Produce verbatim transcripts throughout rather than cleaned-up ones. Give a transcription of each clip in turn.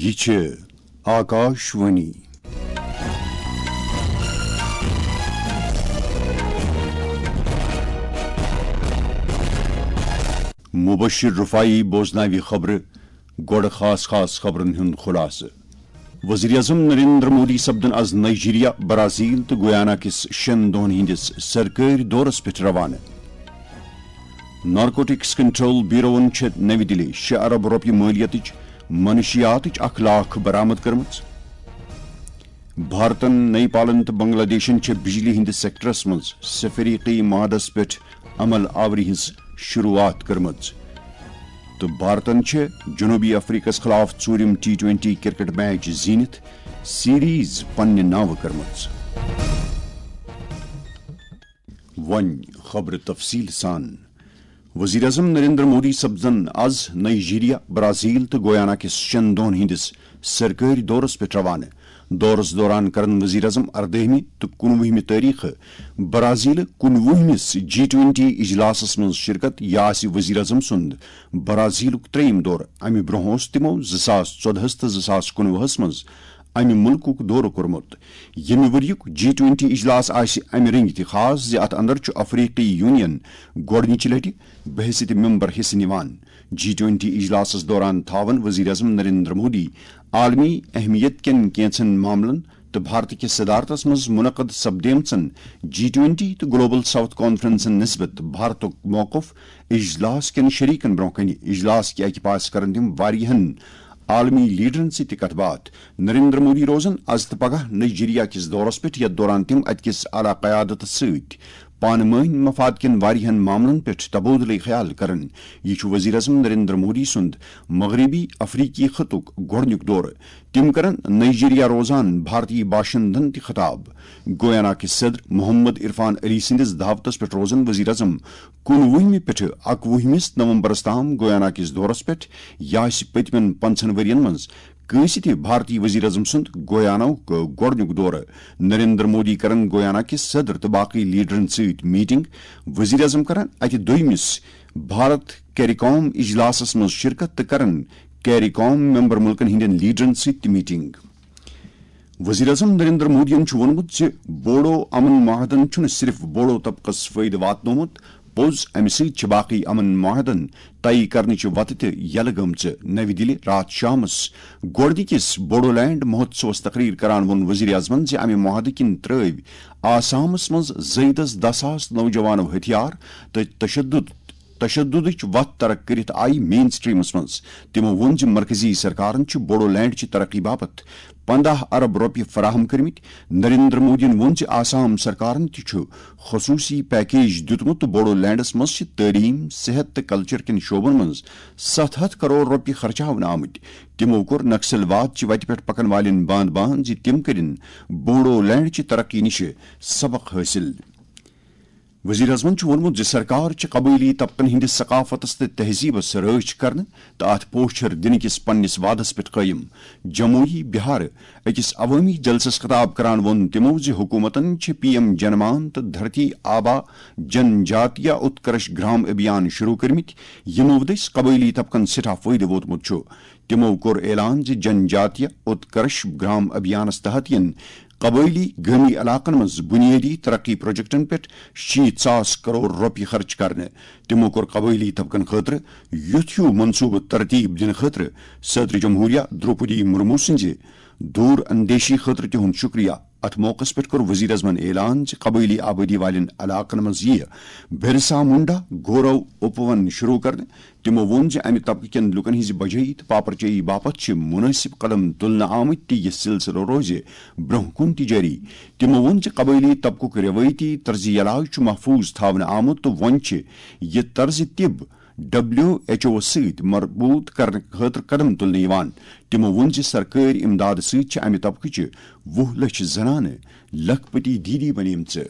یہِ چھِ آکاش وانی۔ مبشر رفاعی بوزناوِ خبرٕ۔ گۄڈٕ خاص خاص خبرن ہُنٛد خلاصہٕ۔ وزیر اعظم نریندر مودی سپدن از نائیجیریا، برازیل تہٕ گویانا کِس شٮ۪ن دۄہن ہٕنٛدِس سرکٲرۍ دورس پٮ۪ٹھ روانہٕ۔ نارکوٹکس کنٹرول بیوروہن چھےٚ نَوِ دِلہِ شےٚ ارب رۄپیہِ مٲلیتٕچ منشیاتٕچ اکھ لاکھ برآمد کٔرمٕژ۔ بھارتن، نیپالن تہٕ بنگلہ دیشن چھےٚ بجلی ہٕنٛدِس سیکٹرس منٛز سفریقی معاہدس پٮ۪ٹھ عمل آوری ہٕنٛز شروعات کٔرمٕژ۔ تہٕ بھارتن چھےٚ جنوبی افریقس خلاف ژوٗرِم ٹی ٹوینٹی کرکٹ میچ زیٖنِتھ سیریز پننہِ ناوٕ کٔرمٕژ۔ وۄنۍ خبرٕ تفصیل سان۔ وزیر اعظم نریندر مودی سپدن از نائیجیریا، برازیل تہٕ گویانا کِس شٮ۪ن دۄہن ہٕنٛدِس سرکٲرۍ دورس پٮ۪ٹھ روانہٕ۔ دورس دوران کرن وزیر اعظم اردٲہمہِ تہٕ کُنوُہمہِ تٲریخہٕ برازیلہٕ کُنوُہمِس جی ٹوینٹی اجلاسس منٛز شرکت۔ یہِ آسہِ وزیر اعظم سُنٛد برازیلُک ترٛیٚیِم دورٕ۔ امہِ برٛونٛہہ اوس تِمو زٕ ساس ژۄدہس تہٕ زٕ ساس کُنوُہس منٛز امہِ مُلکُک دورٕ کوٚرمُت۔ ییٚمہِ ؤریُک جی ٹوینٹی اجلاس آسہِ امہِ رٔنگۍ تہِ خاص زِ اتھ اندر چھُ افریقی یونین گۄڈٕنِچہِ لٹہِ بحیثیت ممبر حصہٕ نِوان۔ جی ٹوینٹی اجلاسس دوران تھاون وزیر اعظم نریندر مودی عالمی اہمیت کٮ۪ن کینٛژن معاملن تہٕ بھارت کِس صدارتس منٛز منعقد سپدیمژن جی ٹوینٹی تہٕ گلوبل ساؤتھ کانفرنسن نسبت بھارتُک موقف اجلاس کٮ۪ن شریکن برٛونٛہہ کنہِ۔ اجلاس کہِ اکہِ پاسہٕ کرن تِم واریاہن عالمی لیڈرن سۭتۍ تہِ کتھ باتھ۔ نریندر مودی روزن از تہٕ پگاہ نائیجیریا کِس دورس پٮ۪ٹھ، یتھ دوران تِم اتہِ کِس اعلیٰ قیادتس سۭتۍ پانہٕ مٲنۍ مفاد کٮ۪ن واریاہن معاملن پٮ۪ٹھ تبادلہٕ خیال کرن۔ یہِ چھُ وزیر اعظم نریندر مودی سُنٛد مغربی افریقی خطُک گۄڈٕنیُک دورٕ۔ تِم کرن نائیجیریا روزان بھارتی باشندن تہِ خطاب۔ گویانا کِس صدر محمد عرفان علی سٕنٛدِس دعوتس پٮ۪ٹھ روزن وزیر اعظم کُنوُہمہِ پٮ۪ٹھٕ اکوُہمِس نومبرس تام گویانا کِس دورس پٮ۪ٹھ۔ یہِ آسہِ پٔتمٮ۪ن پنٛژاہن ؤرین منٛز کٲنٛسہِ تہِ بھارتی وزیر اعظم سُنٛد گویاناہُک گۄڈٕنیُک دورٕ۔ نریندر مودی کرن گویانا کِس صدر تہٕ باقٕے لیڈرن سۭتۍ میٹنگ۔ وزیر اعظم کرن اتہِ دوٚیمِس بھارت کیریکام اجلاسس منٛز شرکت تہٕ کرن کیریکام ممبر ملکن ہٕنٛدٮ۪ن لیڈرن سۭتۍ تہِ میٹنگ۔ وزیر اعظم نریندر مودیَن چھُ ووٚنمُت زِ بوڈو امن معاہدن چھُنہٕ صرف بوڈو طبقس فٲیدٕ واتنومُت، پوٚز، امہِ سۭتۍ چھِ باقٕے امن معاہدن طے کرنٕچہِ وتہٕ تہِ یلہٕ گٔمژٕ۔ نَوِ دِلہِ راتھ شامس گۄڈٕنِکِس بوڈولینڈ مہوتسوس تقریر کران ووٚن وزیر اعظمن زِ امہِ معاہدٕ کِنۍ ترٲوۍ آسامس منٛز زٲیدس دَہ ساس نوجوانو ہتھیار تہٕ تشدد تشددٕچ وتھ ترک کٔرِتھ آیہِ مین سٹریمس منٛز۔ تِمو ووٚن زِ مرکزی سرکارن چھُ بوڈولینڈ چہِ ترقی باپتھ پنداہ ارب رۄپیہِ فراہم کٔرمٕتۍ۔ نریندر مودیَن ووٚن زِ آسام سرکارن تہِ چھُ خصوٗصی پیکیج دیُتمُت تہٕ بوڈولینڈس منٛز چھِ تعلیٖم، صحت تہٕ کلچر کٮ۪ن شعبن منٛز ستھ ہتھ کرور رۄپیہِ خرچاونہٕ آمٕتۍ۔ تِمو کوٚر نکسلواد چہِ وتہِ پٮ۪ٹھ پکن والٮ۪ن باند باند زِ تِم کٔرِن بوڈولینڈ چہِ ترقی نِش سبق حٲصِل۔ وزیر اعظمن چھُ ووٚنمُت زِ سرکار چھِ قبٲئلی طبقن ہٕنٛدِس ثقافتس تہٕ تہذیبس رٲچھ کرنہٕ تہٕ اتھ پوچھر دِنہٕ کِس پننِس وعدس پٮ۪ٹھ قٲیِم۔ جمویی بہار أکِس عوٲمی جلسس خطاب کران ووٚن تِمو زِ حکوٗمتن چھِ پی ایم جنمان تہٕ دھرتی آبا جن جاتیہ اتکرش گرام ابھیان شروع کٔرمٕتۍ، یِمو دٔسۍ قبٲئلی طبقن سٮ۪ٹھاہ فٲیدٕ ووتمُت چھُ۔ تِمو کوٚر اعلان زِ جن جاتیہ اتکرش گرام ابھیانس تحت یِن قبٲئلی گٲمی علاقن منٛز بنیٲدی ترقی پروجیکٹن پٮ۪ٹھ شیٖتھ ساس کرور رۄپیہِ خرچ کرنہٕ۔ تِمو کوٚر قبٲئلی طبقن خٲطرٕ یُتھ ہیوٗ منصوبہٕ ترتیب دِنہٕ خٲطرٕ صدر جمہوریہ دروپدی مرمو سٕنٛزِ دوٗر اندیشی خٲطرٕ تِہُنٛد شُکریہ۔ اتھ موقعس پٮ۪ٹھ کوٚر وزیر اعظمن اعلان زِ قبٲئلی آبٲدی والٮ۪ن علاقن منٛز یِیہِ برسا منڈا گورو اپون شروع کرنہٕ۔ تِمو ووٚن زِ امہِ طبقہٕ کٮ۪ن لوٗکن ہٕنٛزِ بجٲیی تہٕ پاپرچٲیی باپتھ چھِ مُنٲسِب قدم تُلنہٕ آمٕتۍ تہٕ یہِ سلسلہٕ روزِ برٛونٛہہ کُن تہِ جٲری۔ تِمو ووٚن زِ قبٲئلی طبقُک رٮ۪وٲیتی طرزِ علاج چھُ محفوٗظ تھاونہٕ آمُت تہٕ وۄنۍ چھِ یہِ طرزِ طب ڈبلیو ایچ اوَس سۭتۍ مربوط کرنہٕ خٲطرٕ قدم تُلنہٕ یِوان۔ تِمو ووٚن زِ سرکٲرۍ امدادٕ سۭتۍ چھِ امہِ طبقٕچہِ وُہ لچھ زنانہٕ لکھپتی دیدی بنیمژٕ۔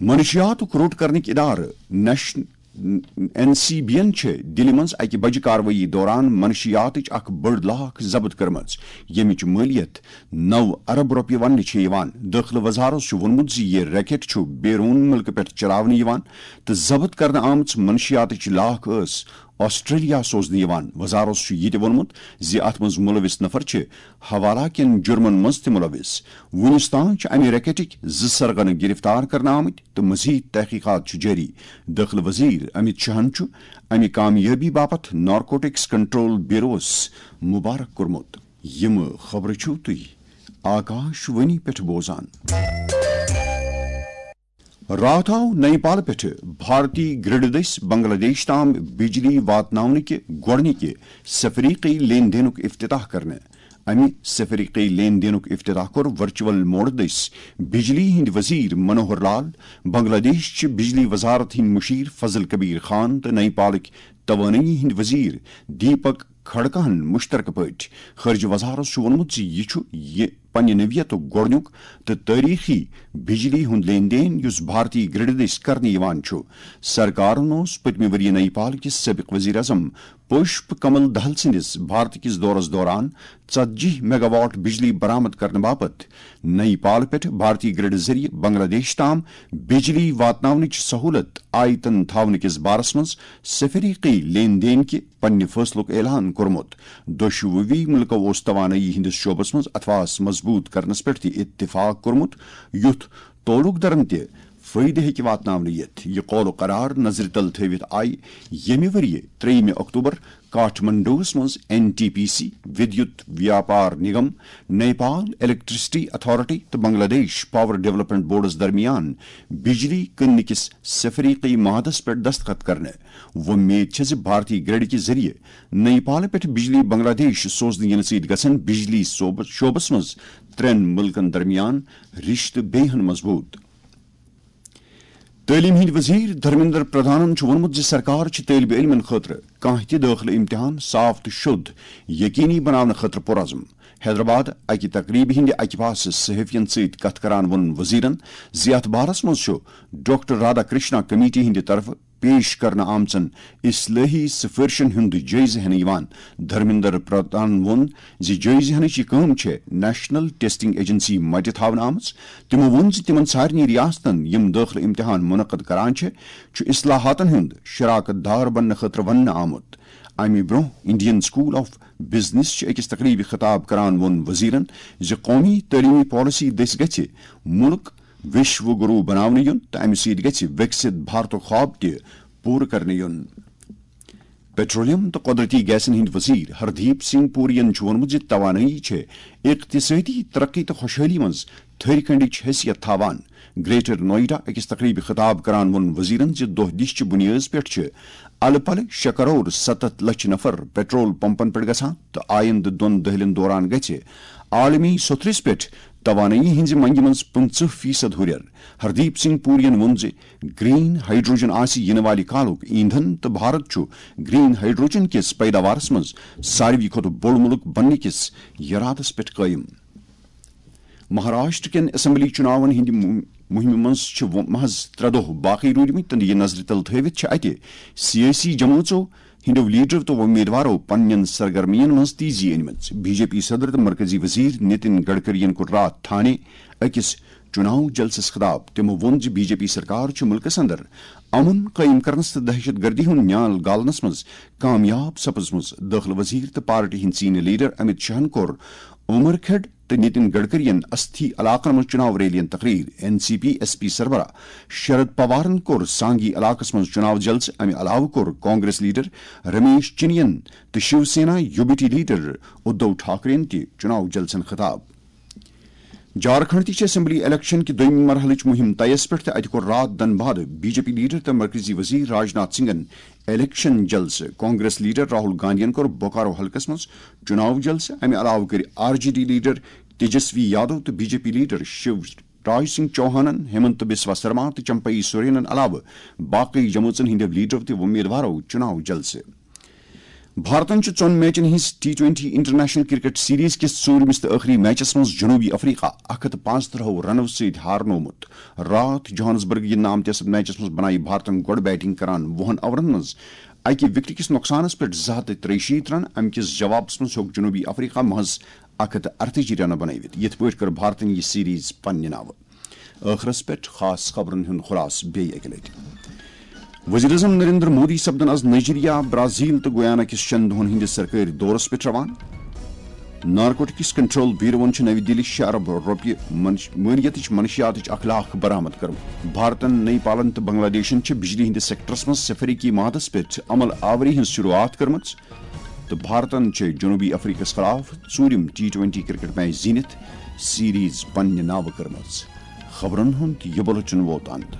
منشیاتُک روٚٹ کرنٕکۍ ادارٕ نیش-، این سی بی یَن چھِ دِلہِ منٛز اَکہِ بجہِ کاروٲیی دوران منشیاتٕچ اکھ بٔڑ لاکھ ضبط کٔرمٕژ، ییٚمِچ مٲلیت نَو ارب رۄپیہِ وننہٕ چھِ یِوان۔ دٲخلہٕ وزارت چھُ ووٚنمُت زِ یہِ ریکٹ چھُ بیرون مُلکہٕ پٮ۪ٹھ چلاونہٕ یِوان تہٕ ضبط کرنہٕ آمٕژ منشیاتٕچ لاکھ ٲس آسٹریلیا سوزنہٕ یِوان۔ وزارت چھُ یہِ تہِ ووٚنمُت زِ اتھ منٛز مُلوِث نفر چھِ حوالہ کٮ۪ن جُرمن منٛز تہِ مُلوِث۔ وُنِس تام چھِ امہِ ریکٹٕکۍ زٕ سرغنہٕ گرفتار کرنہٕ آمٕتۍ تہٕ مزید تحقیقات چھِ جٲری۔ دٲخلہٕ وزیر امت شاہن چھُ امہِ کامیٲبی باپتھ نارکوٹکس کنٹرول بیوروس مبارک کوٚرمُت۔ یِم خبرٕ چھِو تُہۍ آکاش وانی پٮ۪ٹھ بوزان۔ راتھ آو نیپال پٮ۪ٹھٕ بھارتی گرڈ دٔسۍ بنگلہ دیش تام بجلی واتناونہٕ کہِ گۄڈٕنِکہِ سفریقی لین دینُک افتتاح کرنہٕ۔ امہِ سفریقی لین دینُک افتتاح کوٚر ورچوئل موڈ دٔسۍ بجلی ہٕنٛدۍ وزیر منوہر لال، بنگلہ دیش چہِ بجلی وزارت ہٕنٛدۍ مشیر فضل کبیر خان تہٕ نیپالٕکۍ توانٲیی ہٕنٛدۍ وزیر دیپک کھڑکہن مشترکہٕ پٲٹھۍ۔ خارجہ وزارت چھُ ووٚنمُت زِ یہِ چھُ یہِ پننہِ نوعیتُک گۄڈٕنیُک تہٕ تٲریخی بجلی ہُنٛد لین دین یُس بھارتی گرڈ دٔسۍ کرنہٕ یِوان چھُ۔ سرکارن اوس پٔتمہِ ؤرۍ یہِ نیپال کِس سٲبق وزیر اعظم پُشپ کمل دہل سٕنٛدِس بھارت کِس دورس دوران ژتجی میگاواٹ بجلی برآمد کرنہٕ باپتھ نیپال پٮ۪ٹھ بھارتی گرڈ ذٔریعہٕ بنگلہ دیش تام بجلی واتناونٕچ سہولت آیتن تھاونہٕ کِس بارس منٛز سفریقی لین دین کہِ پننہِ فٲصلُک اعلان کوٚرمُت۔ دۄشوٕے مُلکو اوس توانٲیی ہٕنٛدِس شعبس منٛز اتھواس مضبوٗط کرنس پٮ۪ٹھ تہِ اتفاق کوٚرمُت، یُتھ تعلق دارن تہِ فٲیدٕ ہیٚکہِ واتناونہٕ یِتھ۔ یہِ قول و قرار نظرِ تل تھٲوِتھ آیہِ ییٚمہِ ؤرۍ یہِ ترٛیٚیِمہِ اکتوبر کاٹھمنڈوس منٛز این ٹی پی سی، ودیوت ویاپار نگم، نیپال الیکٹریسٹی اتھارٹی تہٕ بنگلہ دیش پاور ڈیولپمنٹ بورڈس درمیان بجلی کٕننہٕ کِس سفریقی معاہدس پٮ۪ٹھ دستخط کرنہٕ۔ وۄمید چھےٚ زِ بھارتی گرڈ کہِ ذٔریعہٕ نیپال پٮ۪ٹھ بجلی بنگلہ دیش سوزنہٕ یِنہٕ سۭتۍ گژھن بجلی صوبس، شعبس منٛز ترٛٮ۪ن مُلکن درمیان رشتہٕ بیٚیہِ ہن مضبوٗط۔ تعلیٖم ہٕنٛدۍ وزیر دھرمیندر پردھانن چھُ ووٚنمُت زِ سرکار چھِ طٲلبہِ علمن خٲطرٕ کانٛہہ تہِ دٲخلہٕ امتحان صاف تہٕ شوٚد یقینی بناونہٕ خٲطرٕ پُرعزم۔ حیدرآباد اکہِ تقریبہِ ہٕنٛدِ اکہِ پاسہٕ صحافین سۭتۍ کتھ کران ووٚن وزیرن زِ اتھ بارس منٛز چھُ ڈاکٹر رادھا کرشنا کمیٹی ہٕنٛدِ طرفہٕ پیش کرنہٕ آمژن اصلٲحی سفٲرشن ہُنٛد جٲیزٕ ہٮ۪نہٕ یِوان۔ دھرمیندر پردھان ووٚن زِ جٲیزٕ ہٮ۪نٕچ یہِ کٲم چھےٚ نیشنل ٹیسٹنگ ایجنسی متہِ تھاونہٕ آمٕژ۔ تِمو ووٚن زِ تِمن سارنٕے ریاستن، یِم دٲخلہٕ امتحان منعقد کران چھِ، چھُ اصلاحاتن ہُنٛد شراکت دار بننہٕ خٲطرٕ وننہٕ آمُت۔ امہِ برٛونٛہہ انڈین سکول آف بزنس چہِ أکِس تقریبہِ خطاب کران ووٚن وزیرن زِ قومی تعلیمی پالیسی دٔسۍ گژھِ مُلک وشو گرو بناونہٕ یُن تہٕ امہِ سۭتۍ گژھِ وِکسِت بھارتُک خواب تہِ پوٗرٕ کرنہٕ یُن۔ پیٹرولیم تہٕ قۄدرٔتی گیسن ہٕنٛدۍ وزیر ہردیپ سنگھ پوریَن چھُ ووٚنمُت زِ توانٲیی چھےٚ اقتصٲدی ترقی تہٕ خۄشحٲلی منٛز تھٔرۍ کنڈٕچ حیثیت تھاوان۔ گریٹر نوئیڈا أکِس تقریبہِ خطاب کران ووٚن وزیرن زِ دۄہ دِش چہِ بُنیٲدِ پٮ۪ٹھ چھِ الہٕ پلہٕ شےٚ کرور ستتھ لچھ نفر پیٹرول پمپن پٮ۪ٹھ گژھان تہٕ آیندٕ دۄن دٔہلٮ۪ن دوران گژھِ عالمی سوٚتھرِس پٮ۪ٹھ توانٲیی ہٕنٛزِ منگہِ منٛز پٕنٛژٕہ فیصد ہُرٮ۪ر۔ ہردیپ سنگھ پوریَن ووٚن زِ گرین ہائیڈروجن آسہِ یِنہٕ والہِ کالُک ایندھن تہٕ بھارت چھُ گرین ہائیڈروجن کِس پیداوارس منٛز ساروی کھۄتہٕ بوٚڑ مُلک بننہٕ کِس یرادس پٮ۪ٹھ قٲیِم۔ مہاراشٹر کٮ۪ن اسمبلی چُناون ہٕنٛدِ مُ-، مُہِمہِ منٛز چھِ وۄ-، محض ترٛےٚ دۄہ باقٕے روٗدمٕتۍ تہٕ یہِ نظرِ تل تھٲوِتھ چھِ اتہِ سیٲسی جمٲژو ہٕنٛدیو لیڈرو تہٕ وۄمیدوارو پننٮ۪ن سرگرمین منٛز تیزی أنمٕژ۔ بی جے پی صدر تہٕ مرکزی وزیر نتن گڈکرین کوٚر راتھ تھانے أکِس چُناو جلسس خطاب۔ تِمو ووٚن زِ بی جے پی سرکار چھِ مُلکس اندر امن قٲیِم کرنس تہٕ دہشت گردی ہُنٛد نیال گالنس منٛز کامیاب سپٕزمٕژ۔ دٲخلہٕ وزیر تہٕ پارٹی ہٕنٛدۍ سینئر لیڈر امت شاہن کوٚر عمر کھڑ تہٕ نتن گڈکرین استھی علاقن منٛز چُناو ریلین تقریر۔ N C P S P سربراہ شرد پوارن کوٚر سانگی علاقس منٛز چُناو جلسہٕ۔ امہِ علاوٕ کوٚر کانگریس لیڈر رمیش چنین تہٕ Shiv Sena U B T leader Uddhav ٹھاکرین تہِ چُناو جلسن خطاب۔ جھارکھنڈ تہِ چھِ اسمبلی الیکشن کہِ دوٚیمہِ مرحلٕچ مُہِم طیَس پٮ۪ٹھ تہٕ اَتہِ کوٚر راتھ دَنہٕ بعد بی جے پی لیڈر تہٕ مرکزی وزیر راجناتھ سنگھن الیکشن جلسہٕ۔ کانگریس لیڈر راہل گاندھین کوٚر بوکارو حلقس منٛز چُناو جلسہٕ۔ اَمہِ علاوٕ کٔرۍ R J D leader Tejashwi Yadav تہٕ B J P leader Shiv Raj Singh چوہانن، ہیمنت بسوا سرما تہٕ چمپئی سورینن علاوٕ باقٕے جمٲژن ہٕنٛدیو لیڈرو تہٕ وۄمیدوارو چُناو جلسہٕ۔ بھارتن چھُ ژۄن میچن ہٕنٛز T twenty international cricket series کِس ژوٗرمِس تہٕ ٲخری میچس منٛز جنوبی افریقہ اکھ ہتھ تہٕ پانٛژترٕٛہو رنو سۭتۍ ہارنوومُت۔ راتھ جوہانسبرگ گِنٛدنہٕ آمتِس میچس منٛز بنایہِ بھارتن گۄڈٕ بیٹنگ کران وُہن اورن منٛز اکہِ وکٹہٕ کِس نۄقصانس پٮ۪ٹھ زٕ ہتھ تہٕ ترٛیہِ شیٖتھ رن۔ امہِ کِس جوابس منٛز ہیوٚک جنوبی افریقہ محض اکھ ہتھ تہٕ ارتٲجی رنہٕ بنٲوِتھ۔ یِتھ پٲٹھۍ کٔر بھارتن یہِ سیریز پننہِ ناوٕ۔ ٲخرس پٮ۪ٹھ خاص خبرن ہُنٛد خلاصہٕ بیٚیہِ اکہِ لٹہِ۔ وزیر اعظم نریندر مودی سپدن از نائیجیریا، برازیل تہٕ گویانا کِس شٮ۪ن دۄہن ہٕنٛدِس سرکٲرۍ دورس پٮ۪ٹھ روانہٕ۔ نارکوٹکس کنٹرول بیوروَن چھِ نوِ دِلہِ شےٚ ارب رۄپیہِ منش-، مٲلیتٕچ منشیاتٕچ اکھ لاکھ برآمد کٔرمٕژ۔ بھارتن، نیپالن تہٕ بنگلہ دیشن چھِ بجلی ہٕنٛدِس سیکٹرس منٛز سفرکی معاہدس پٮ۪ٹھ عمل آوری ہٕنٛز شروعات کٔرمٕژ تہٕ بھارتن چھِ جنوبی افریقس خلاف ژوٗرِم ٹی ٹوینٹی کرکٹ میچ زیٖنِتھ سیریز پننہِ ناوٕ کٔرمٕژ۔ خبرن ہُنٛد یہِ بُلٹن ووت اند۔